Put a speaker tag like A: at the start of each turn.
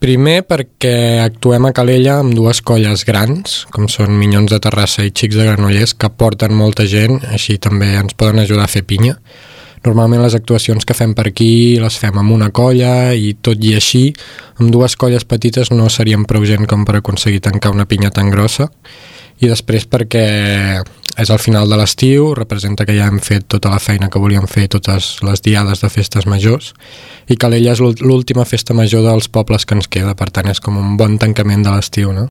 A: Primer perquè actuem a Calella amb dues colles grans, com són Minyons de Terrassa i Xics de Granollers, que porten molta gent, així també ens poden ajudar a fer pinya. Normalment les actuacions que fem per aquí les fem amb una colla i tot i així, amb dues colles petites no seríem prou gent com per aconseguir tancar una pinya tan grossa. I després perquè és al final de l'estiu, representa que ja hem fet tota la feina que volíem fer, totes les diades de festes majors, i Calella és l'última festa major dels pobles que ens queda, per tant és com un bon tancament de l'estiu, no?